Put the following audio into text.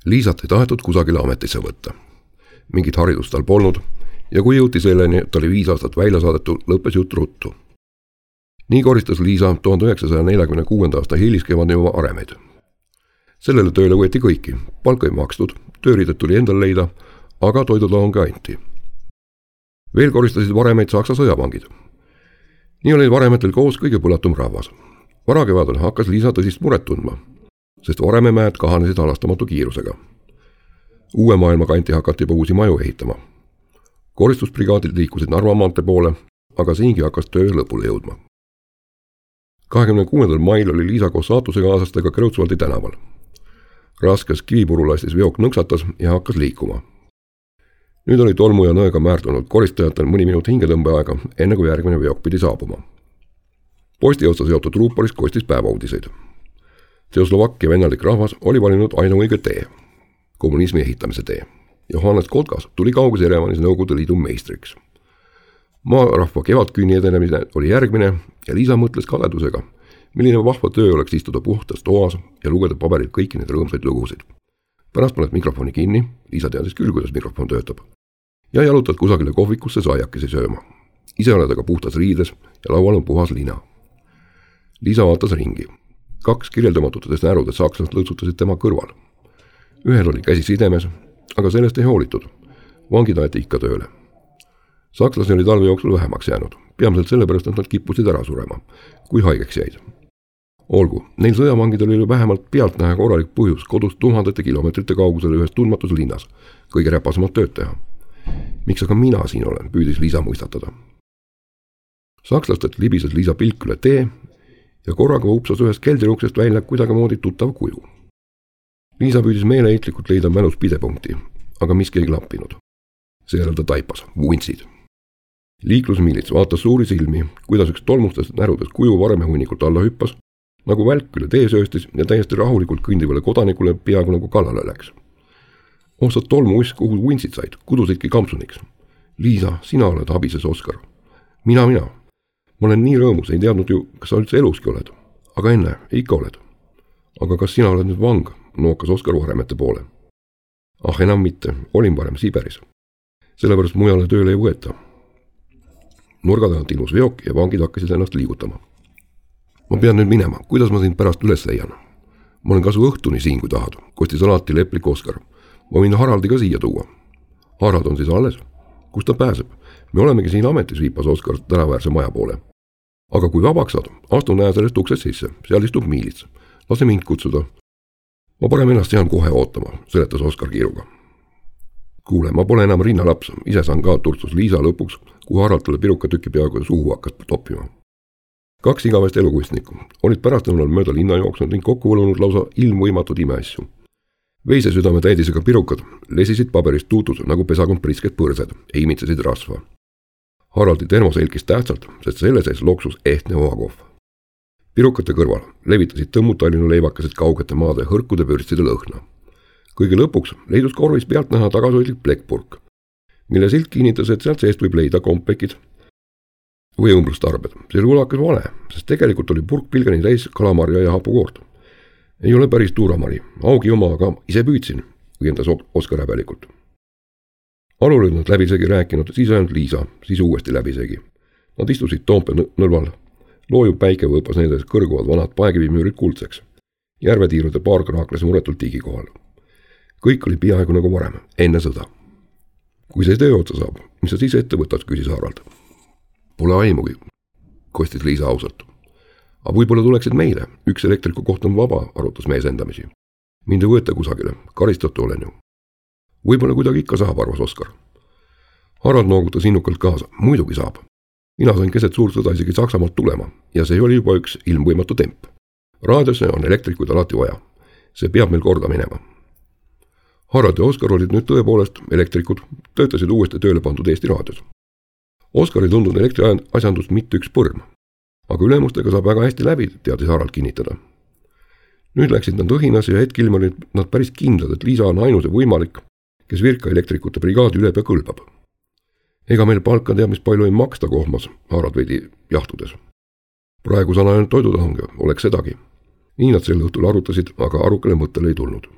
Liisat ei tahetud kusagile ametisse võtta. Mingit haridust tal polnud ja kui jõuti selleni, et ta oli 5 aastat välja saadetud, lõppes jutt ruttu. Nii koristas Liisa 1946. aasta hiliskevadel juba aremeid. Sellele tööle võeti kõiki, palka ei makstud, tööriidet tuli endal leida, aga toidutalongi anti. Veel koristasid varemeid Saksa sõjavangid. Nii oli varemetel koos kõige põlatum rahvas. Varakevadel hakkas Liisa tõsist muret tundma, sest varememäed kahanesid halastamatu kiirusega. Uue maailma kanti hakati juba uusi maju ehitama. Koristusbrigaadid liikusid Narva maantee poole, aga siingi hakkas töö lõpule jõudma. 26. mail oli Liisa koos saatusekaaslastega Kreutzwaldi tänaval. Raskes kivipurulastis veok nõksatas ja hakkas liikuma. Nüüd oli tolmu ja nõega määrdunud koristajatel mõni minut hingetõmbeaega, enne kui järgmine veok pidi saabuma. Posti otsa seotud ruupolis kostis päevauudiseid. Tšehhoslovakkia vennalik rahvas oli valinud ainuõige tee, kommunismi ehitamise tee. Johannes Kotkas tuli kauges Jerevanis Nõukogude Liidu meistriks. Maarahva kevadkünni edenemine oli järgmine ja Liisa mõtles kadedusega, milline vahva töö oleks istuda puhtas toas ja lugeda paberilt kõiki neid rõõmsaid lugusid. Pärast paned mikrofoni kinni, Liisa teadis küll, kuidas mikrofon töötab, ja jalutad kusagile kohvikusse saiakesi sööma. Ise oled aga puhtas riides ja laual on puhas lina. Liisa vaatas ringi. 2 kirjeldamatutest närudest sakslast lõõtsutasid tema kõrval. Ühel oli käsi sidemes, aga sellest ei hoolitud. Vangid aeti ikka tööle. Sakslasi oli talve jooksul vähemaks jäänud, peamiselt sellepärast, et nad kippusid ära surema, kui haigeks jäid. Olgu, neil sõjavangidel oli vähemalt pealtnäha korralik põhjus kodus tuhandete kilomeetrite kaugusel ühes tundmatus linnas kõige räpasemat tööd teha. Miks aga mina siin olen, püüdis Liisa mõistatada. Sakslastelt libises Liisa pilk üle tee ja korraga upsas ühest keldriuksest välja kuidagimoodi tuttav kuju. Liisa püüdis meeleheitlikult leida mälus pidepunkti, aga miski ei klappinud. Seejärel ta taipas, vuntsid. Liiklusmiilits vaatas suuri silmi, kuidas üks tolmustest närudest kuju varemehunnikult alla hüppas, nagu välk üle tee sööstis ja täiesti rahulikult kõndivale kodanikule peaaegu nagu kallale läks. Sa tolmuiss, kuhu vuntsid said, kudusidki kampsuniks. Liisa, sina oled abises Oskar. Mina. Ma olen nii rõõmus, ei teadnud ju, kas sa üldse eluski oled. Aga enne, ikka oled. Aga kas sina oled nüüd vang? Nookas Oskar varemete poole. Enam mitte, olin varem Siberis. Sellepärast mujale tööle ei võeta. Nurga tagant ilmus veok ja vangid hakkasid ennast liigutama. Ma pean nüüd minema, kuidas ma sind pärast üles leian? Ma olen kasu õhtuni siin, kui tahad, kostis alati leplik Oskar. Ma võin Haraldi ka siia tuua. Harald on siis alles? Kus ta pääseb? Me olemegi siin ametis, viipas Oskar tänaväärse maja poole. Aga kui vabaks saad, astu näe sellest uksest sisse, seal istub miilits. Lase mind kutsuda. Ma parem ennast jään kohe ootama, seletas Oskar kiiruga. Kuule, ma pole enam rinnalaps, ise saan ka, turtsus Liisa lõpuks, kui Harald talle pirukatükki peaaegu suhu hakkas toppima. 2 igavest elukunstnikku olid pärastlõunal mööda linna jooksnud ning kokku võlunud lausa ilmvõimatud imeasju. Veisesüdame täidisega pirukad lesisid paberist tuutud nagu pesakond prisked põrsed, imitsesid rasva. Haraldi termos helkis tähtsalt, sest selle sees loksus ehtne oakohv. Pirukate kõrval levitasid tõmmutallinnu leivakesed kaugete maade hõrkude pürstide lõhna. Kõige lõpuks leidus korvis pealt näha tagasoidlik plekkpurk, mille silt kinnitas, et sealt seest võib leida kompekid või õmblustarbed. See oli ulakas vale, sest tegelikult oli purk pilgeni täis kalamarja ja hapukoort. Ei ole päris tuuramari, augi oma, aga ise püüdsin, õiendas Oskar häbelikult. Alul olid nad läbisegi rääkinud, siis ainult Liisa, siis uuesti läbisegi. Nad istusid Toompea nõlval. Loojuv päike võõpas nendes kõrguvad vanad paekivimüürid kuldseks. Järvetiirude paar kraakles muretult tigi kohal. Kõik oli peaaegu nagu varem, enne sõda. Kui see töö otsa saab, mis sa siis ette võtad, küsis Harald. Pole aimugi, kostis Liisa ausalt. Aga võib-olla tuleksid meile, üks elektriku koht on vaba, arutas mees endamisi. Mind ei võeta kusagile, karistatu olen ju. Võib-olla kuidagi ikka saab, arvas Oskar. Harald noogutas innukalt kaasa, muidugi saab. Mina sain keset suurt sõda isegi Saksamaalt tulema ja see oli juba üks ilmvõimatu temp. Raadiosse on elektrikuid alati vaja. See peab meil korda minema. Harald ja Oskar olid nüüd tõepoolest elektrikud, töötasid uuesti tööle pandud Eesti raadios. Oskar ei tundnud elektriasjandust mitte üks põrm, aga ülemustega saab väga hästi läbi, teadis Harald kinnitada. Nüüd läksid nad õhinas ja hetkil olid nad päris kindlad, et Liisa on ainus ja võimalik, kes Virka elektrikute brigaadi üle pea kõlbab. Ega meil palka teab, mis palju ei maksta kohmas, Harald veidi jahtudes. Praegu saan ainult toidutalongi, oleks sedagi. Nii nad sel õhtul arutasid, aga arukale mõttele ei tulnud.